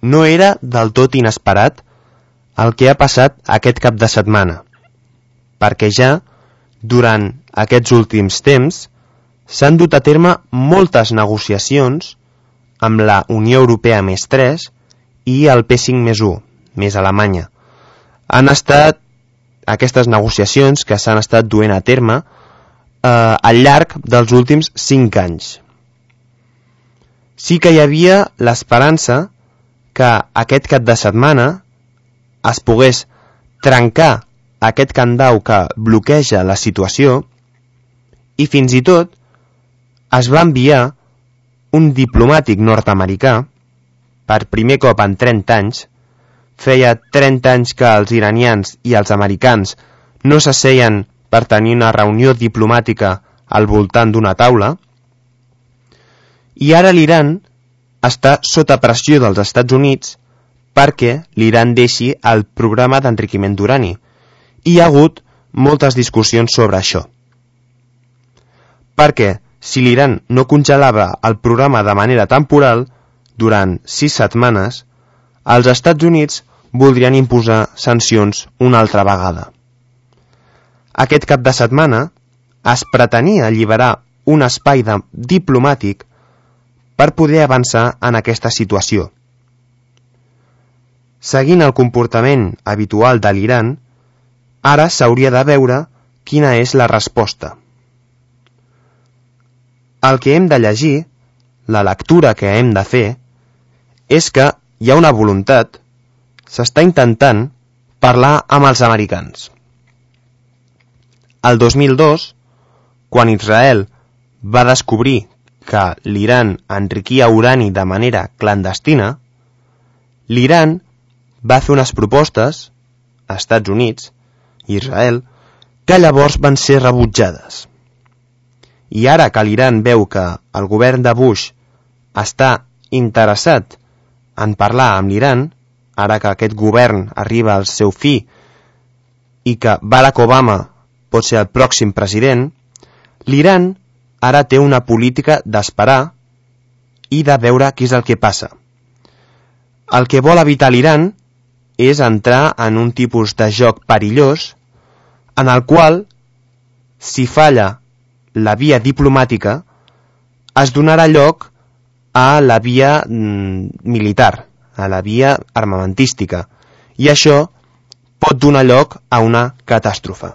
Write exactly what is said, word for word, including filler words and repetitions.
no era del tot inesperat el que ha passat aquest cap de setmana, perquè ja, durant aquests últims temps, s'han dut a terme moltes negociacions amb la Unió Europea més tres i el P cinc més u, més Alemanya. Han estat aquestes negociacions que s'han estat duent a terme eh, al llarg dels últims cinc anys. Sí que hi havia l'esperança que aquest cap de setmana es pogués trencar aquest candau que bloqueja la situació i fins i tot es va enviar un diplomàtic nord-americà per primer cop en trenta anys. Feia trenta anys que els iranians i els americans no s'asseien per tenir una reunió diplomàtica al voltant d'una taula, i ara l'Iran està sota pressió dels Estats Units perquè l'Iran deixi el programa d'enriquiment d'urani, i hi ha hagut moltes discussions sobre això. Perquè si l'Iran no congelava el programa de manera temporal durant sis setmanes, els Estats Units voldrien imposar sancions una altra vegada. Aquest cap de setmana es pretenia alliberar un espai de, diplomàtic per poder avançar en aquesta situació. Seguint el comportament habitual de l'Iran, ara s'hauria de veure quina és la resposta. El que hem de llegir, la lectura que hem de fer, és que hi ha una voluntat, s'està intentant parlar amb els americans. El dos mil dos, quan Israel va descobrir que l'Iran enriquia urani de manera clandestina, l'Iran va fer unes propostes a Estats Units i Israel que llavors van ser rebutjades. I ara que l'Iran veu que el govern de Bush està interessat en parlar amb l'Iran, ara que aquest govern arriba al seu fi i que Barack Obama pot ser el pròxim president, l'Iran ara té una política d'esperar i de veure què és el que passa. El que vol evitar l'Iran és entrar en un tipus de joc perillós en el qual, si falla la via diplomàtica, es donarà lloc a la via mm, militar, a la via armamentística, i això pot donar lloc a una catàstrofe.